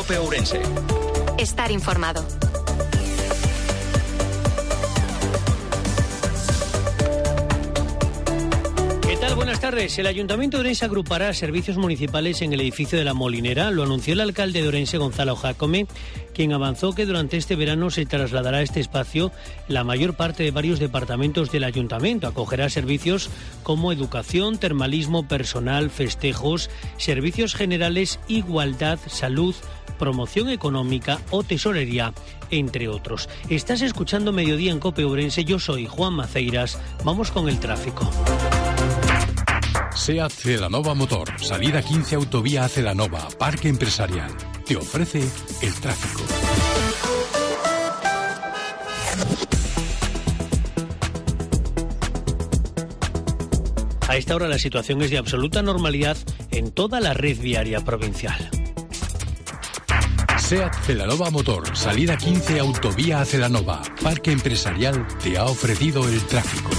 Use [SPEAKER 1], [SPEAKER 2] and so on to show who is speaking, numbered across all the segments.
[SPEAKER 1] COPE Ourense.
[SPEAKER 2] Estar informado.
[SPEAKER 3] ¿Qué tal? Buenas tardes. El Ayuntamiento de Ourense agrupará servicios municipales en el edificio de La Molinera. Lo anunció el alcalde de Ourense, Gonzalo Jácome, quien avanzó que durante este verano se trasladará a este espacio la mayor parte de varios departamentos del Ayuntamiento. Acogerá servicios como educación, termalismo, personal, festejos, servicios generales, igualdad, salud, promoción económica o tesorería, entre otros. Estás escuchando Mediodía en COPE Ourense. Yo soy Juan Maceiras. Vamos con el tráfico.
[SPEAKER 4] SEAT Celanova Motor, salida 15 autovía a Celanova, parque empresarial. Te ofrece el tráfico.
[SPEAKER 3] A esta hora la situación es de absoluta normalidad en toda la red viaria provincial.
[SPEAKER 4] SEAT Celanova Motor, salida 15 autovía a Celanova, parque empresarial, te ha ofrecido el tráfico.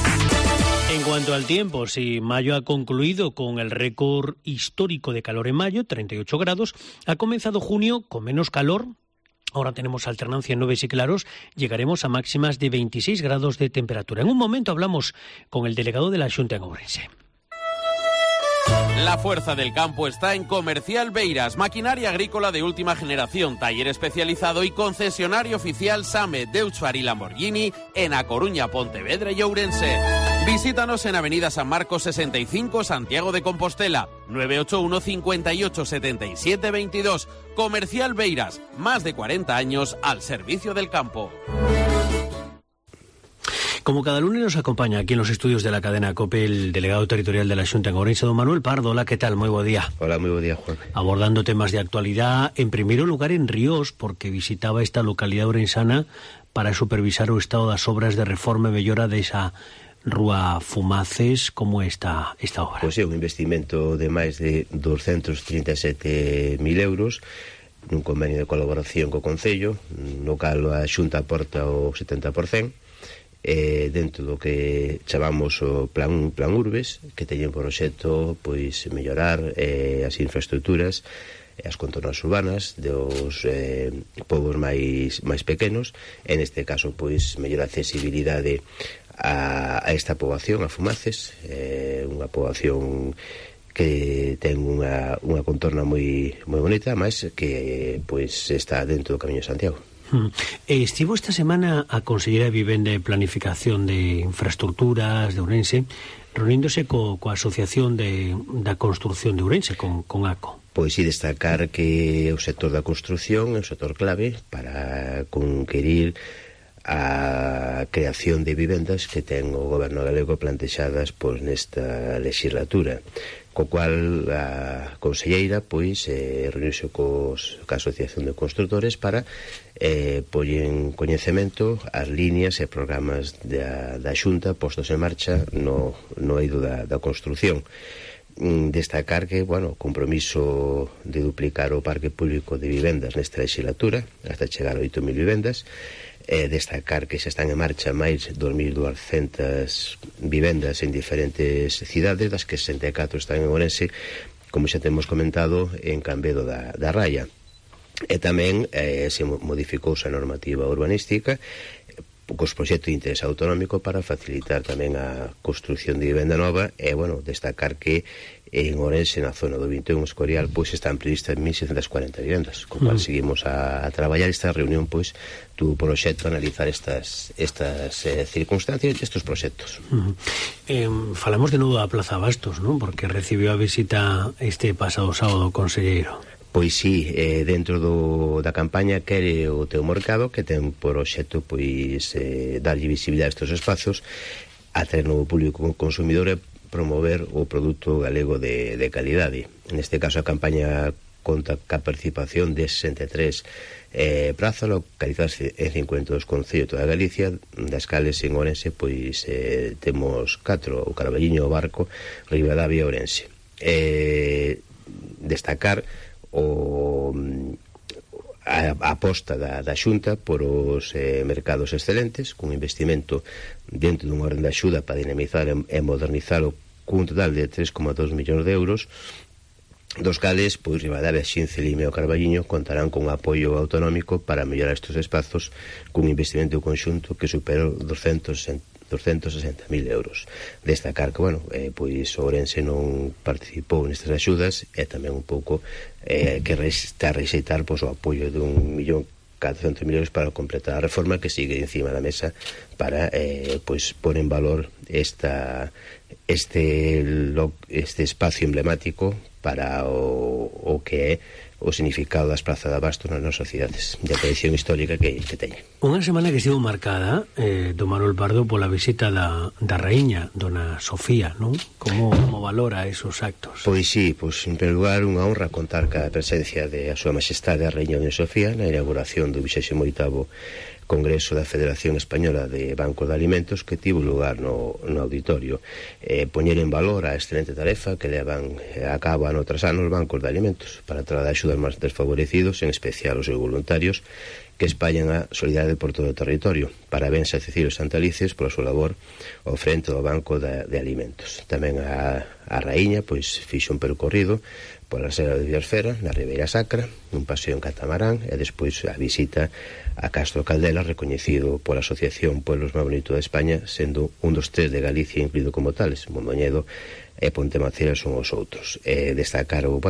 [SPEAKER 3] En cuanto al tiempo, si mayo ha concluido con el récord histórico de calor en mayo, 38 grados, ha comenzado junio con menos calor. Ahora tenemos alternancia en nubes y claros, llegaremos a máximas de 26 grados de temperatura. En un momento hablamos con el delegado de la Xunta en Ourense.
[SPEAKER 5] La fuerza del campo está en Comercial Beiras, maquinaria agrícola de última generación, taller especializado y concesionario oficial SAME, Deutscher y Lamborghini en A Coruña, Pontevedra y Ourense. Visítanos en Avenida San Marcos 65, Santiago de Compostela, 981 58 77 22. Comercial Beiras, más de 40 años al servicio del campo.
[SPEAKER 3] Como cada lunes nos acompaña aquí en los estudios de la cadena COPE el delegado territorial de la Xunta en Ourense, don Manuel Pardo. Hola, ¿qué tal? Muy buen día.
[SPEAKER 6] Hola, muy buen día, Juan.
[SPEAKER 3] Abordando temas de actualidad, en primer lugar en Ríos, porque visitaba esta localidad ourensana para supervisar o estado das obras de reforma e mellora desa Rúa Fumaces. Como está esta obra?
[SPEAKER 6] Pois é un investimento de máis de 237.000 euros nun convenio de colaboración co Concello, no cal a Xunta aporta o 70%, dentro do que chamamos o plan Urbes, que teñen por obxecto pois mellorar as infraestructuras, as contornas urbanas dos povos máis pequenos, en este caso pois mellorar a accesibilidade a esta poboación, a Fumaces, unha poboación que ten unha contorna moi bonita, máis que pois está dentro do Camiño de Santiago.
[SPEAKER 3] Estivo esta semana a Conselleira de Vivenda e Planificación de Infraestructuras de Ourense reuníndose coa Asociación da Construción de Ourense, con ACO.
[SPEAKER 6] Pois sí, destacar que o sector da construción é un sector clave para conquerir a creación de vivendas que ten o goberno galego plantexadas pois nesta legislatura, co cual a conselleira pois reuniuse coa Asociación de Constructores para poñer en coñecemento as líneas e programas da Xunta postos en marcha no eido da construción. Destacar que, bueno, o compromiso de duplicar o parque público de vivendas nesta legislatura hasta chegar a 8.000 vivendas. Destacar que xa están en marcha máis 2.200 vivendas en diferentes cidades, das que 64 están en Ourense, como xa temos comentado, en Cambedo da Raya. E tamén se modificouse a normativa urbanística cos proxectos de interés autonómico para facilitar tamén a construción de vivenda nova e, bueno, destacar que en Ourense, na zona do 21 Escorial, pois están previstas 1.640 vivendas, co cual seguimos a traballar. Esta reunión, pois, tuvo por obxecto analizar estas circunstancias e estes proxectos.
[SPEAKER 3] Falamos de novo da Plaza Bastos, non? Porque recibiu a visita este pasado sábado o conselleiro.
[SPEAKER 6] Pois sí, dentro da campaña Quere o teu mercado, que ten por obxecto pois darlle visibilidade a estes espazos, atraer novo público consumidor e promover o produto galego de calidade. Neste caso a campaña conta ca participación de 63 prazas localizadas en 52 concellos de toda Galicia, das cales en Ourense pois temos 4, o Carballiño, o Barco, Ribadavia e Ourense. Destacar a aposta da Xunta por os mercados excelentes, cun investimento dentro dun orden de axuda para dinamizar e modernizar cun total de 3,2 millóns de euros, dos cales, pois Ribadavia, Xince, Limia e o Carballiño contarán con un apoio autonómico para mellorar estes espazos cun investimento conxunto que supera 260.000 euros. Destacar que, bueno, pois Ourense non participou nestas axudas e tamén un pouco que está a rexeitar pois, o apoio de 1.400.000 euros para completar a reforma que sigue encima da mesa para pois pôr en valor este espacio emblemático para o que é o significado das plazas de abasto nas nosas cidades de a tradición histórica que teñen.
[SPEAKER 3] Unha semana que estivo marcada do Manuel Pardo pola visita da raíña, dona Sofía, non? Como valora esos actos?
[SPEAKER 6] Pois sí, pois en primeiro lugar unha honra contar ca presencia de a súa majestade a raíña dona Sofía na inauguración do 28º Congreso da Federación Española de Bancos de Alimentos que tivo lugar no auditorio. Poñer en valor a excelente tarefa que levan a cabo ano tras ano os bancos de alimentos para trasladar axudas máis desfavorecidos, en especial os seus voluntarios que espallan a solidariedade por todo o territorio. Parabéns a Cecilio Santalices pola súa labor ao frente do Banco de Alimentos. Tamén a raíña pois fixo un percorrido pola Serra de Villasfera, na Ribeira Sacra, un paseo en catamarán e despois a visita a Castro Caldela, recoñecido pola Asociación Pueblos máis Bonitos de España, sendo un dos 3 de Galicia incluído como tales. Mondoñedo e Pontemacera son os outros. Destacar o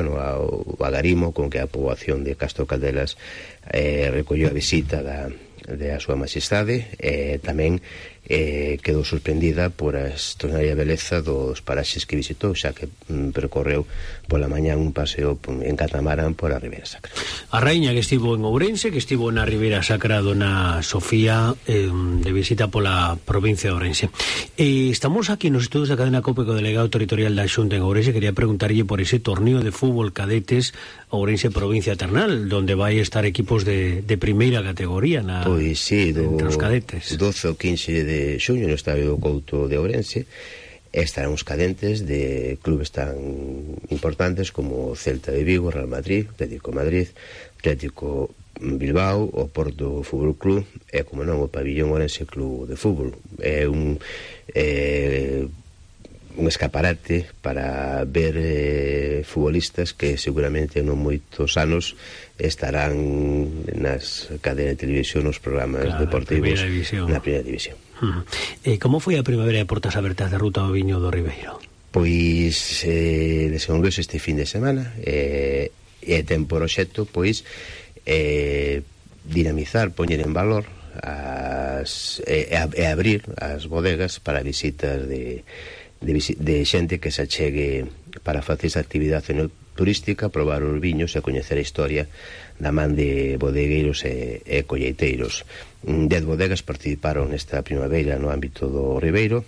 [SPEAKER 6] agarimo con que a poboación de Castro Caldelas recolleu a visita da súa majestade e tamén quedou sorprendida por a extraordinaria beleza dos paraxes que visitou, xa que percorreu pola mañá un paseo en catamarán por a Ribeira Sacra.
[SPEAKER 3] A raíña que estivo en Ourense, que estivo na Ribeira Sacra, dona Sofía, de visita pola provincia de Ourense. Estamos aquí nos estudos da cadena COPE co delegado territorial da Xunta en Ourense. Quería preguntarlle por ese torneo de fútbol cadetes Ourense Provincia Ternal, donde vai estar equipos de primeira categoría
[SPEAKER 6] pois sí,
[SPEAKER 3] entre os cadetes.
[SPEAKER 6] 12 ou 15 de xuño no Estadio do Couto de Ourense estarán os cadentes de clubes tan importantes como Celta de Vigo, Real Madrid, Atlético Madrid, Atlético Bilbao, o Porto Fútbol Club e, como non, o Pabillón Ourense Club de Fútbol. É un escaparate para ver futbolistas que seguramente non moitos anos estarán nas cadenas de televisión, nos programas deportivos na primeira división.
[SPEAKER 3] Como foi a primavera de portas abertas da Ruta do Viño do Ribeiro?
[SPEAKER 6] Pois desenvolveuse este fin de semana e ten por obxecto pois dinamizar, poñer en valor e abrir as bodegas para visitas de xente que se achegue para facer esa actividade turística, probar os viños e coñecer a historia da man de bodegueiros e colleiteiros. 10 bodegas participaron nesta primavera no ámbito do Ribeiro.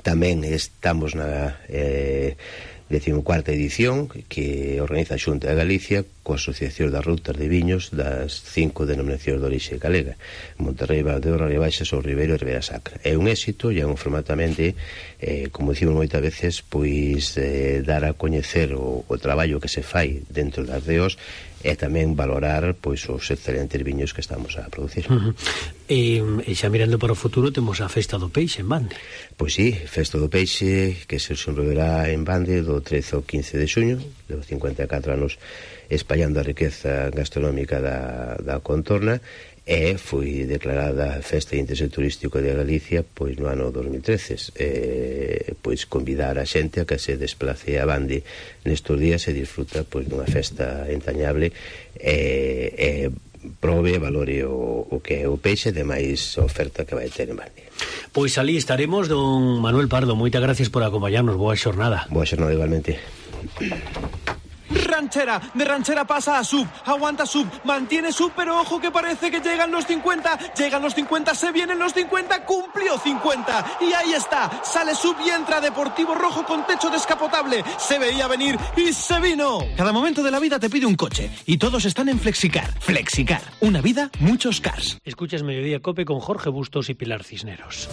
[SPEAKER 6] Tamén estamos na 14ª edición que organiza a Xunta de Galicia coa Asociación das Rutas de Viños das 5 denominacións de orixe galega: Monterrey, Valdeorras, Rías Baixas, o Ribeiro e Ribeira Sacra. É un éxito e é un formatamente, como dicimos moitas veces, pois dar a coñecer o traballo que se fai dentro das DEOs e tamén valorar pois os excelentes viños que estamos a producir.
[SPEAKER 3] E xa mirando para o futuro temos a Festa do Peixe en Bande.
[SPEAKER 6] Pois sí, Festa do Peixe que se desenvolverá en Bande do 13 ao 15 de xuño, de 54 anos espallando a riqueza gastronómica da contorna, e foi declarada Festa de Interese Turístico de Galicia pois no ano 2013. Pois convidar a xente a que se desplace a Bande nestes días e disfruta pois dunha festa entrañable e prove, valore o que é o peixe de máis oferta que vai ter en Bande.
[SPEAKER 3] Pois alí estaremos, don Manuel Pardo. Moitas gracias por acompañarnos. Boa xornada.
[SPEAKER 6] Boa xornada igualmente.
[SPEAKER 1] Ranchera, de Ranchera pasa a Sub, aguanta Sub, mantiene Sub, pero ojo que parece que llegan los 50, se vienen los 50, cumplió 50, y ahí está, sale Sub y entra Deportivo Rojo con techo descapotable, se veía venir y se vino. Cada momento de la vida te pide un coche, y todos están en Flexicar. Flexicar, una vida, muchos cars.
[SPEAKER 3] Escuchas Mediodía Cope con Jorge Bustos y Pilar Cisneros.